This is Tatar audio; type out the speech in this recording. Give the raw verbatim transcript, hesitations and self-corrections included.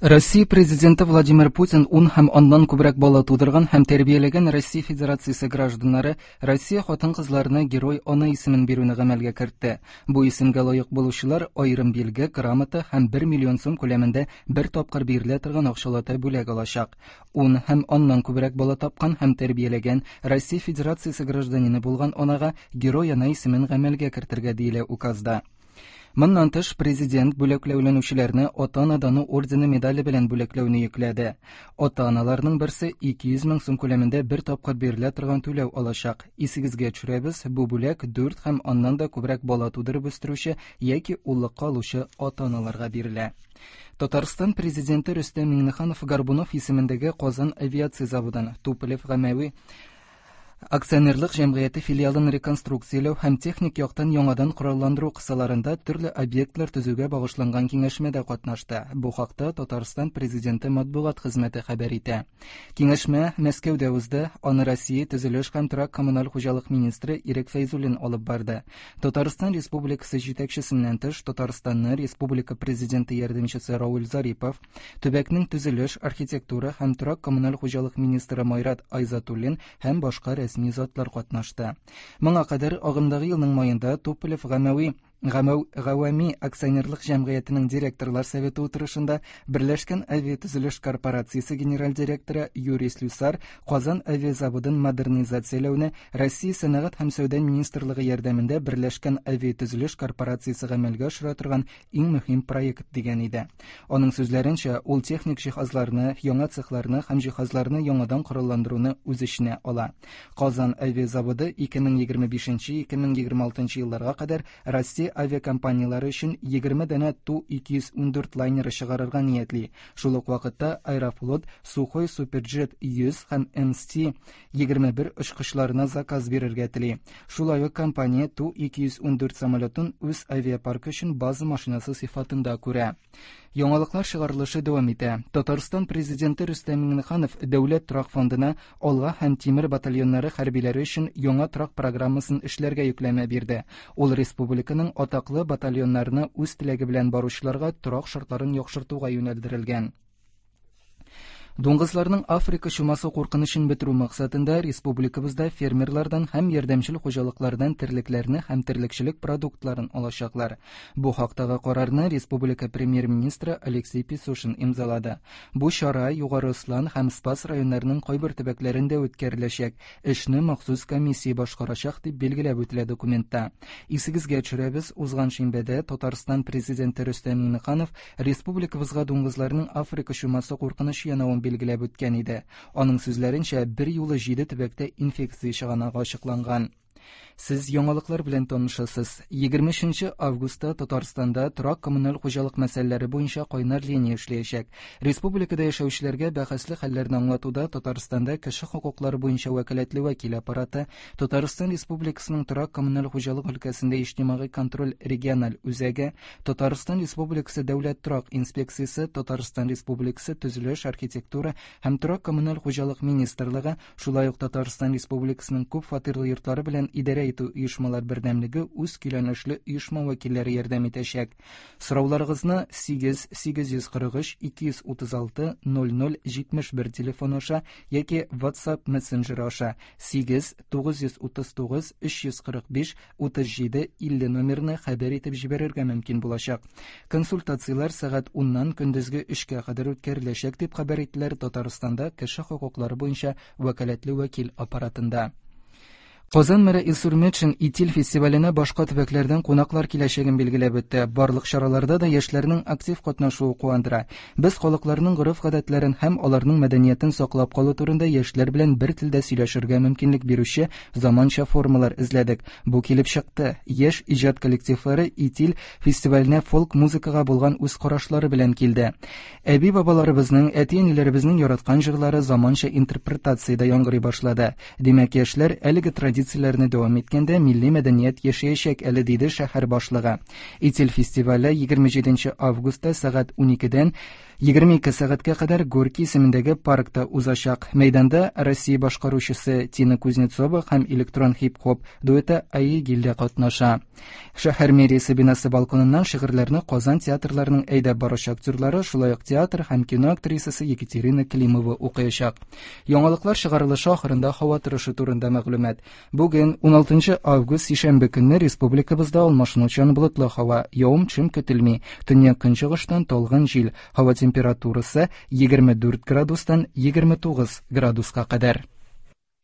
Россия Президенты Владимир Путин ун һәм аннан күбрәк бала тудырган һәм тәрбияләгән Россия Федерациясе гражданнары Россия хатын-кызларына Герой ана исемен бирүне гамәлгә кертте. Бу исемгә лаек булучылар аерым билге, грамота һәм бер миллион сум күләмендә бер тапкыр бирелә торган акчалата бүләк алачак. Ун һәм аннан күбрәк бала тапкан һәм тәрбияләгән Россия Федерациясе гражданины булган анага Герой ана исемен гамәлгә кертергә диелә указда. Моннан тыш, президент бүләкләүләнүчеләрне Ата-ана даны ордены медале белән бүләкләүне йөкләде. Ата-аналарның берсе ике йөз мең сум күләмендә бер тапкыр бирелә торган түләү алачак. Исегезгә төшерәбез, бу бүләк дүрт һәм аннан да күбрәк бала тудырып үстерүче яки уллыкка алучы ата-аналарга бирелә. Татарстан президенты Рөстәм Миңнеханов Горбунов исемендәге Казан авиация заводын Туполев гамәви акционерлык җәмгыяте филиалын реконструкцияләү һәм техник яктан яңадан коралландыру кысаларында төрле объектлар төзүгә багышланган киңәшмәдә катнашты. Бу хакта Татарстан президенты матбугат хезмәте хәбәр итә. Киңәшмә Мәскәүдә узды. Аны Россия төзелеш һәм торак коммуналь хуҗалык министры Ирек Фәйзуллин алып барды. Татарстан Республикасы җитәкчесеннән тыш Татарстанны Республика президенты ярдәмчесе Рауль Зарипов, төбәкнең төзелеш, архитектура һәм торак коммуналь хуҗалык министры Майрат Айзатуллин һәм башка рәсми затлар катнашты. Моңа кадәр агымдагы елның маенда Туполев гамәви Гавами акционерлык җәмгыятенең директорлар советы утырышында Берләшкән авиатөзелеш корпорациясе генераль директоры Юрий Слюсар Казан авиазаводын модернизацияләүне Россия сәнәгать һәм сәүдә министрлыгы ярдәмендә Берләшкән авиатөзелеш корпорациясе гамәлгә ашыра торган иң мөһим проект дигән иде. Аның сүзләренчә, ул техник җиһазларны, яңа цехларны һәм җиһазларны яңадан коралландыруны үз эченә ала. Казан авиазаводы ике мең егерме бишенче - ике мең егерме алтынчы елларга кадәр Россия авиакомпаниялары өчен егерме данә Ту ике йөз ун дүрт лайнеры чыгарырга ниятли. Шул ук вакытта Аэрофлот Сухой Суперджет йөз һәм М С Т егерме бер очкычларына заказ бирергә тели. Шулай ук компания Ту ике йөз ун дүрт самолетын үз авиапаркы өчен база машинасы сыйфатында күрә. Яңалыклар чыгарылышы дәвам итә. Татарстан президенты Рөстәм Миңнеханов Дәүләт торак фондына Алга һәм Тимер батальоннары хәрбиләре өчен яңа торак программасын эшләргә йөкләмә бирде. Ул республиканың атаклы батальоннарына үз теләге белән баручыларга торак шартларын яхшыртуга юнәлдерелгән. Дуңгызларның Африка чумасы куркынычын бетерү максатында республикабызда фермерлардан һәм ярдәмчел хуҗалыклардан терлекләрне һәм терлекчелек продуктларын алачаклар. Бу хактагы карарны республика премьер-министры Алексей Песошин имзалады. Бу чара Югары Ослан һәм Спас районнарының кайбер төбәкләрендә үткәреләчәк. Эшне махсус комиссия башкарачак дип билгеләп үтелә документта. Исегезгә төшерәбез, узган шимбәдә Татарстан президенты Рөстәм Миңнеханов республикабызга дуңгызларның Африка чумасы куркынычы янавын билгеләп үткән иде. Аның сүзләренчә, бер юлы җиде төбәктә инфекция чыганагы ачыкланган. Сез яңалыклар белән танышасыз. Егерме өченче августта Татарстанда торак коммуналь хуҗалык мәсьәләләре буенча кайнар линия эшләячәк. Республикада яшәүчеләргә бәхәсле хәлләрне аңлатуда Татарстанда кеше хокуклары буенча вәкаләтле вәкил аппараты, Татарстан Республикасының торак коммуналь хуҗалык өлкәсендә иҗтимагый контроль региональ үзәге, Татарстан Республикасы Дәүләт торак инспекциясе, Татарстан Республикасы Төзелеш, архитектура һәм торак коммуналь хуҗалык министрлыгы, шулай ук Татарстан Республикасының күп фатирлы йортлары белән идарә итү оешмалар бердәмлеге үз көйләнешле оешма вәкилләре ярдәм итәчәк. Сорауларыгызны сигез сигез йөз кырык өч ике йөз утыз алты ноль ноль җитмеш бер телефон аша яки WhatsApp мессенджеры аша сигез тугыз йөз утыз тугыз өч йөз кырык биш утыз җиде илле номерына хәбәр итеп җибәрергә мөмкин булачак. Консультацияләр сәгать уннан көндезге өчкә кадәр үткәреләчәк дип хәбәр иттеләр Татарстанда кеше хокуклары буенча вәкаләтле вәкил аппаратында. Казан мэры Илсур Метшин Итил фестиваленә башка төбәкләрдән кунаклар киләчәген билгеләп үтте. Барлык чараларда да яшьләрнең актив катнашуы куандыра. Без халыкларның гореф-гадәтләрен һәм аларның мәдәниятен саклап калу турында яшьләр белән бер телдә сөйләшергә мөмкинлек бирүче заманча формалар эзләдек. Бу килеп чыкты. Яшь иҗат коллективлары Итил фестиваленә фолк музыкага булган үз карашлары белән килде. Әби-бабаларыбызның, әти-әниләребезнең яраткан җырлары заманча интерпретациядә яңгырый башлады. Димәк, яшьләр әлеге традиция традицияләрне дәвам иткәндә милли мәдәният яшәячәк әле, диде шәһәр башлыгы. Итил фестивале егерме җиденче августта сәгать уникедән егерме ике сәгатькә кадәр Горький исемендәге паркта узачак. Мәйданда Россия башкаручысы Тина Кузнецова һәм электрон хип-хоп дуэты Аигиль дә катнаша. Шәһәр мэриясе бинасы балконыннан шигырьләрне Казан театрларының әйдәп баручы актерлары, шулай ук театр һәм кино актрисасы Екатерина Климова укыячак. Яңалыклар чыгарылышы ахырында һава торышы турында мәгълүмат. Бүген уналтынчы август сишәмбе көнне республикабызда алмашынучан болытлы һава, явым-төшем көтелми. Төньяк көнчыгыштан талгын җил. Һава температурасы егерме дүрт градустан егерме тугыз градуска кадәр.